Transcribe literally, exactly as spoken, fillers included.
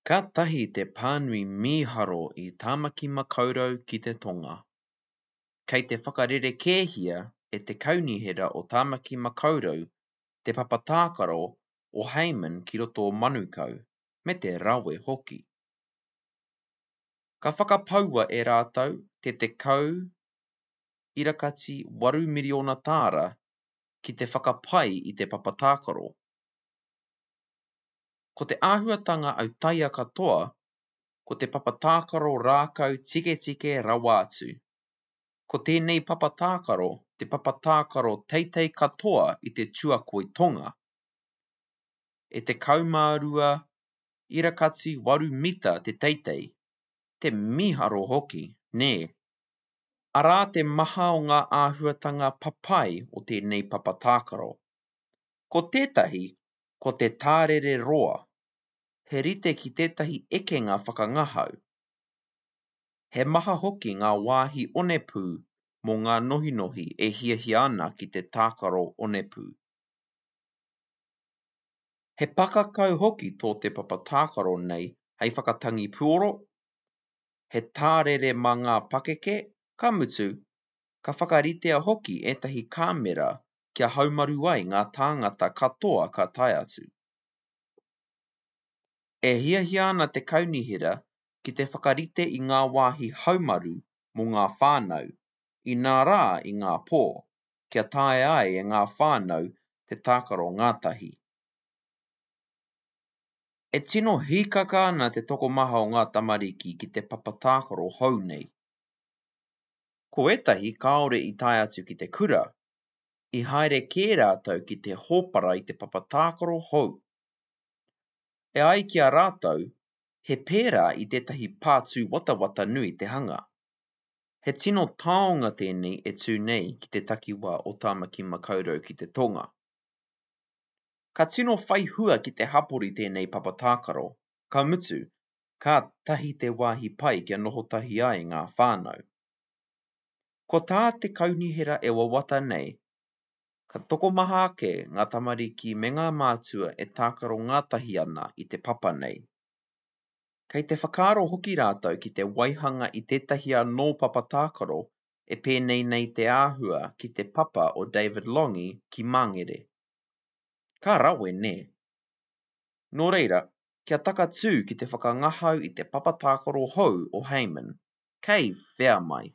Kātahi te pānui mīharo i Tāmaki Makaurau ki te Tonga. Kei te whakarerekēhia e te Kaunihera o Tāmaki Makaurau te papa tākaro o Hayman ki roto o Manukau, me te rawe hoki. Ka whakapaua e rātou te tekau irakati waru miriona tāra ki te whakapai i te papa tākaro. Ko te āhuatanga autaia katoa, ko te papa tākaro rākau tiketike rawa atu. Ko tēnei papa tākaro te papa tākaro teitei katoa i te tuakoi tonga. E tekau mā rua irakati waru mita te teitei. Te mīharo hoki, nē? Arā te maha o ngā āhuatanga papai o tēnei papa tākaro. Ko tētahi, ko te tārere roa. He rite ki tētahi ekenga whakangahau. He maha hoki ngā wāhi onepū mō ngā nohinohi e hiahia ana ki te tākaro onepū. He pakakau hoki tō te papa tākaro nei hei whakatangi puoro, he tārere mā ngā pakeke, ka mutu, ka whakaritea hoki ētahi kāmera kia haumaru ai ngā tāngata katoa ka tae atu. E hiahia ana te kaunihera ki te whakarite i ngā wāhi haumaru mō ngā whānau, inā rā i ngā pō, kia taea ai e ngā whānau te tākaro ngātahi. E tino hīkaka ana te tokomaha o ngā tamariki ki te papa tākaro hou nei. Ko ētahi kāore i tae atu ki te kura, i haere kē rātou ki te hōpara i te papa tākaro hou. E ai ki a rātou, he pērā i tētahi pā tūwatawata nui te hanga. He tino taonga tēnei e tū nei ki te takiwā o Tāmaki Makaurau ki te Tonga. Ka tino whai hua ki te hapori tēnei papa tākaro, ka mutu, kātahi te wāhi pai kia noho tahi ai ngā whānau. Ko tā te kaunihera e wawata nei, ka tokomaha ake ngā tamariki me ngā mātua e tākaro ngātahi ana i te papa nei. Kei te whakaaro hoki rātou ki te waihanga i tētahi anō papa tākaro e pēnei nei te āhua ki te papa o David Lange ki Māngere. Ka rawe, nē? Nō reira, kia takatū ki te whakangahau i te papa tākaro hou o Hayman. Kei whea mai!